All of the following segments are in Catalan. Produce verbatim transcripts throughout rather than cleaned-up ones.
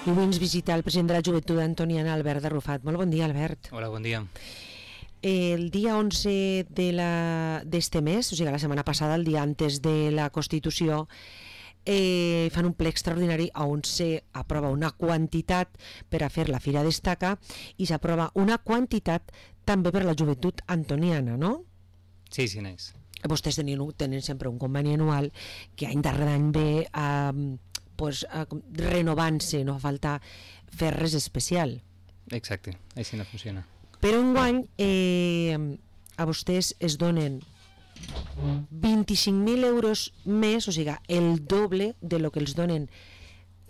I avui ens visita el president de la Joventut Antoniana, Albert Arrufat. Molt bon dia, Albert. Hola, bon dia. El dia onze de la d'este mes, o sigui, la setmana passada, el dia antes de la Constitució, eh, fan un ple extraordinari on se aprova una quantitat per a fer la Fira Destaca i s'aprova una quantitat també per a la Joventut Antoniana, no? Sí, sí, n'és. Vostès tenen, tenen sempre un conveni anual que any darrere any ve eh, pues, eh, renovant-se, no fa falta fer res especial. Exacte, així no funciona. Però enguany eh, a vostès es donen vint-i-cinc mil euros més, o sigui, el doble de lo que els donen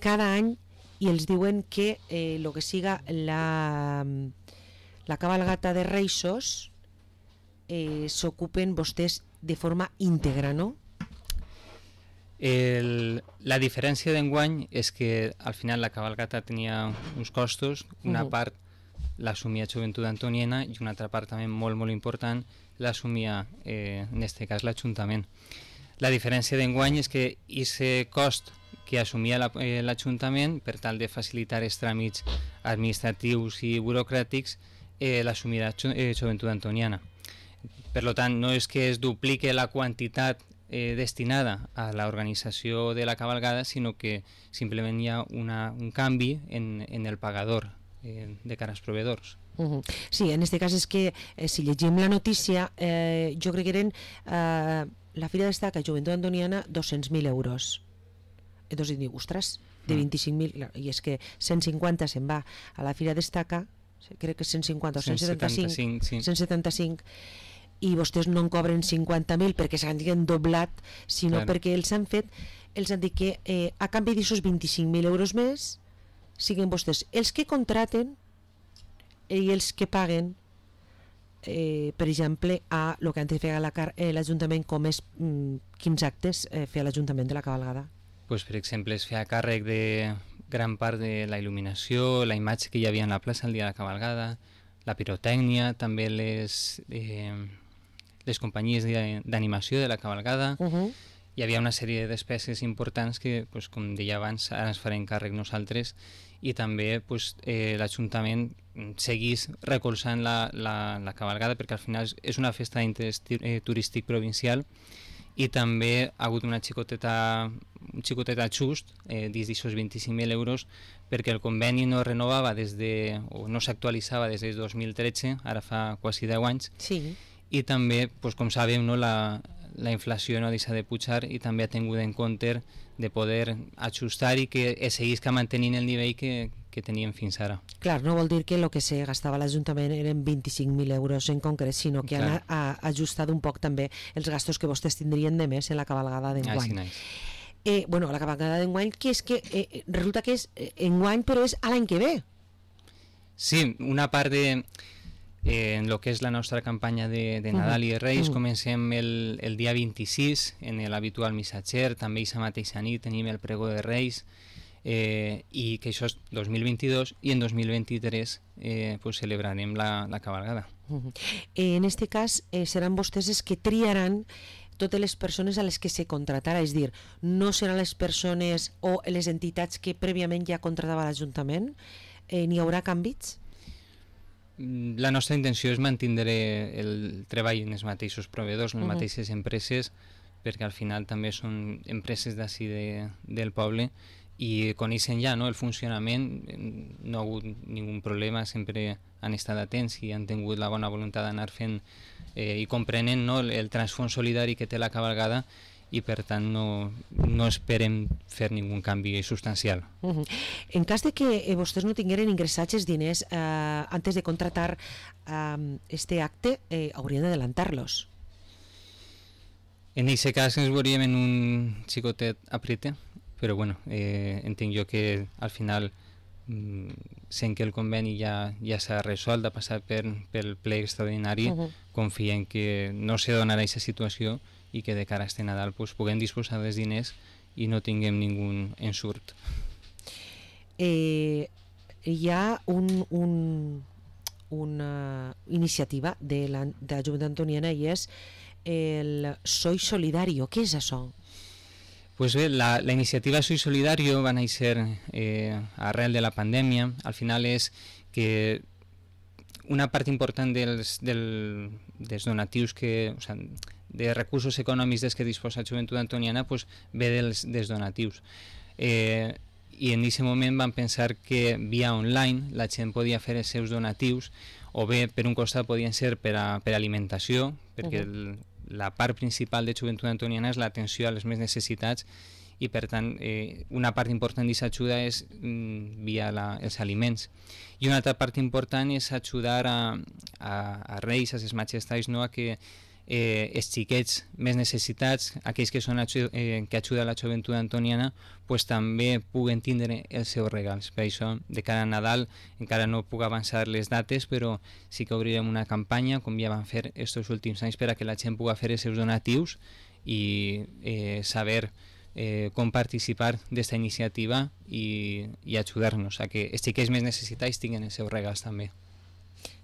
cada any, i els diuen que eh, lo que siga la, la cabalgata de Reixos eh, s'ocupen vostès de forma íntegra, no? El, la diferència d'enguany és que al final la cabalgata tenia uns costos, una uh-huh. part l'assumia Joventut Antoniana i una altra part també molt molt important l'assumia, eh, en aquest cas, l'Ajuntament. La diferència d'enguany és que aquest cost que assumia l'Ajuntament per tal de facilitar els tràmits administratius i burocràtics eh, l'assumia eh, Joventut Antoniana. Per tant, no és que es duplique la quantitat eh, destinada a l'organització de la cabalgada, sinó que simplement hi ha una, un canvi en, en el pagador eh, de cara als proveedors. Uh-huh. Sí, en aquest cas és que eh, si llegim la notícia, eh, jo crec que eren eh, la Fira Destaca Joventut Antoniana dos-cents mil euros. Entonces dic, ostres, de vint-i-cinc mil, i és que cent cinquanta se'n va a la Fira Destaca, crec que cent cinquanta o cent setanta-cinc, sí. cent setanta-cinc, i vostès no en cobren cinquanta mil perquè s'han doblat, sinó claro. perquè els han fet, els han dit que eh, a canvi d'aixòs vint-i-cinc mil euros més siguen vostès els que contraten i els que paguen, eh, per exemple, a el que antes feia l'Ajuntament, com és mm, quins actes eh, feia l'Ajuntament de la cabalgada. Pues, per exemple, es feia càrrec de gran part de la il·luminació, la imatge que hi havia en la plaça el dia de la cabalgada, la pirotècnia, també les, eh, les companyies d'animació de la cabalgada. Uh-huh. Hi havia una sèrie de despeses importants que, pues, com deia abans, ara ens farem càrrec nosaltres, i també pues, eh, l'Ajuntament seguís recolzant la, la, la cabalgada, perquè al final és una festa d'interès eh, turístic provincial, i també ha hagut una xicoteta, un xicotet ajust eh, dins d'aquests vint-i-cinc mil euros, perquè el conveni no renovava des de, o no s'actualitzava des del dos mil tretze, ara fa quasi deu anys, sí. I també, pues, com sabem, no, la, la inflació no deixa de pujar i també ha tingut en compte de poder ajustar i que seguís que mantenint el nivell que, que teníem fins ara. Clar, no vol dir que el que se gastava l'Ajuntament eren vint-i-cinc mil euros en concret, sinó que Clar. han a, a ajustat un poc també els gastos que vostès tindrien de més en la cabalgada d'enguany. Ah, sí, eh, bueno, la cabalgada d'enguany, que és que eh, resulta que és eh, enguany, però és a l'any que ve. Sí, una part de... Eh, en el que és la nostra campanya de, de Nadal i de Reis, uh-huh. comencem el, el dia vint-i-sis en l'habitual missatger, també aquesta mateixa nit tenim el pregó de Reis, eh, i que això és dos mil vint-i-dos, i en dos mil vint-i-tres eh, pues celebrarem la, la cabalgada. Uh-huh. eh, en este cas eh, seran vostès els que triaran totes les persones a les que se contratarà, és dir, no seran les persones o les entitats que prèviament ja contratava l'Ajuntament, eh, n'hi haurà canvis? La nostra intenció és mantindre el treball en els mateixos proveïdors, en les uh-huh. mateixes empreses, perquè al final també són empreses d'ací de, del poble i coneixen ja, no, el funcionament, no ha hagut ningun problema, sempre han estat atents i han tingut la bona voluntat d'anar fent eh, i comprenent, no, el, el transfons solidari que té la cabalgada, i per tant no, no esperem fer ningun canvi substancial. Uh-huh. En cas de que eh, vostès no tingueren ingressats els diners eh, antes de contratar eh, este acte, eh, haurien d'adelantar-los. En aquest cas ens veuríem en un xicotet aprete, però bueno, eh, entenc jo que al final mm, sent que el conveni ja, ja s'ha resolt, ha passat per, pel ple extraordinari, uh-huh. confiem que no se donarà aquesta situació i que de cara a este Nadal pues, puguem disposar dels diners i no tinguem ningú ensurt. Eh, hi ha un, un, una iniciativa de la, de la Joventut Antoniana i és el Soy Solidario. Què és això? Pues bé, la, la iniciativa Soy Solidario va néixer eh, arrel de la pandèmia. Al final és que una part important dels, del, dels donatius que, o sigui, de recursos econòmics dels que disposa la Joventut Antoniana pues, ve dels, dels donatius. Eh, I en aquest moment vam pensar que via online la gent podia fer els seus donatius, o bé per un costat podien ser per a, per a alimentació, perquè uh-huh. el, la part principal de Joventut Antoniana és l'atenció a les més necessitats, i per tant eh, una part important d'aquesta ajuda és mm, via la, els aliments, i una altra part important és ajudar a, a, a reis, a les majestats, no? A que eh, els xiquets més necessitats, aquells que, són, eh, que ajuden a la Joventut Antoniana, pues, també puguen tindre els seus regals. Per això, de cara a Nadal, encara no puc avançar les dates, però sí que obrirem una campanya, com ja vam fer estos últims anys, per a que la gent pugui fer els seus donatius i eh, saber eh, com participar d'esta iniciativa i, i ajudar-nos a que els xiquets més necessitats tinguin els seus regals també.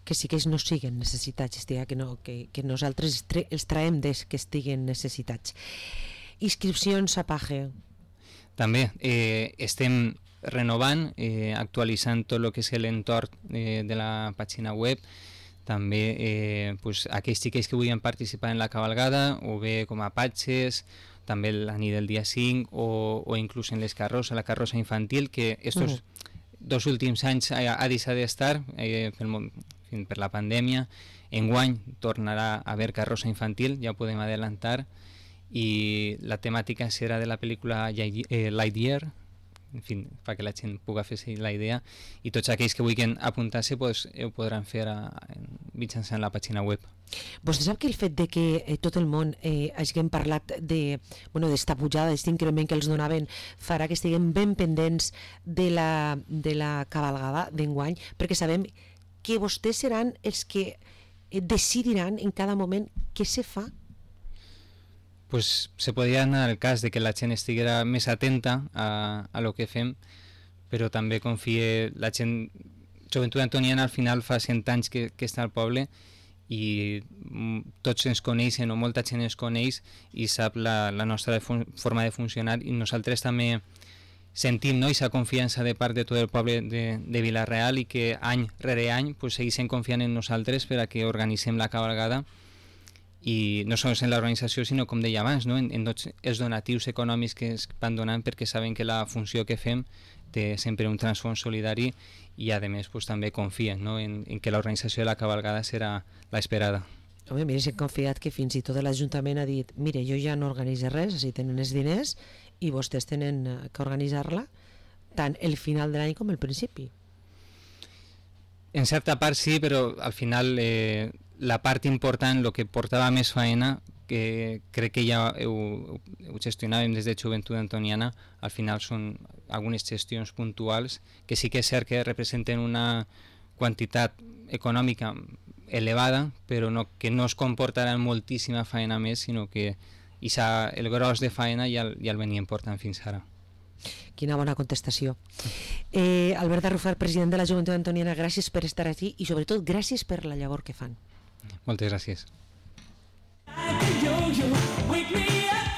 Que sí que ells no siguin necessitats, estigui, que, no, que, que nosaltres els traiem des que estiguen necessitats. Inscripcions a Page. També eh, estem renovant, eh, actualitzant tot el que és l'entorn eh, de la pàgina web. També eh, pues, aquells xiquets que vulguin participar en la cabalgada, o bé com a patges, també la nit del dia cinc, o, o inclús en les carrosses, la carrossa infantil, que estos uh-huh. dos últims anys ha, ha deixat d'estar eh, pel, per la pandèmia. Enguany tornarà a haver carrossa infantil, ja ho podem adelantar, i la temàtica serà de la pel·lícula eh, Lightyear, en fi, perquè la gent pugui fer la idea, i tots aquells que vulguin apuntar-se pues, ho podran fer a, a, mitjançant la pàgina web. Vostè sap que el fet de que eh, tot el món eh, hagin parlat de, bueno, d'esta pujada, d'aquest increment que els donaven, farà que estiguem ben pendents de la, de la cabalgada d'enguany, perquè sabem que vostès seran els que decidiran en cada moment què se fa? Pues se podria anar al cas de que la gent estiguera més atenta a, a lo que fem, però també confie la gent. Joventut Antoniana al final fa cent anys que, que està al poble i tots ens coneixen, o molta gent ens coneix i sap la, la nostra fun- forma de funcionar, i nosaltres també sentim, no, aquesta confiança de part de tot el poble de, de Vila-real, i que any rere any pues, segueixen confiant en nosaltres per a que organitzem la cabalgada, i no sols en l'organització, sinó, com deia abans, no? en, en tots els donatius econòmics que es van donant, perquè saben que la funció que fem té sempre un transfons solidari, i a més pues, també confien, no? en, en que l'organització de la cabalgada serà l'esperada. Home, mira, s'han confiat que fins i tot l'Ajuntament ha dit mire, jo ja no organitzo res, així tenen els diners i vostès tenen que organitzar-la tant el final de l'any com el principi. En certa part sí, però al final eh, la part important, el que portava més faena, que crec que ja ho, ho gestionàvem des de Joventut Antoniana, al final són algunes gestions puntuals que sí que és cert que representen una quantitat econòmica elevada, però no, que no es comportaran moltíssima faena més, sinó que ixa, el gros de faena ja, ja el venien portant fins ara. Quina bona contestació. Eh, Albert Arrufat, president de la Joventut Antoniana, gràcies per estar aquí i sobretot gràcies per la llavor que fan. Moltes gràcies. Like a yo-yo, wake me up.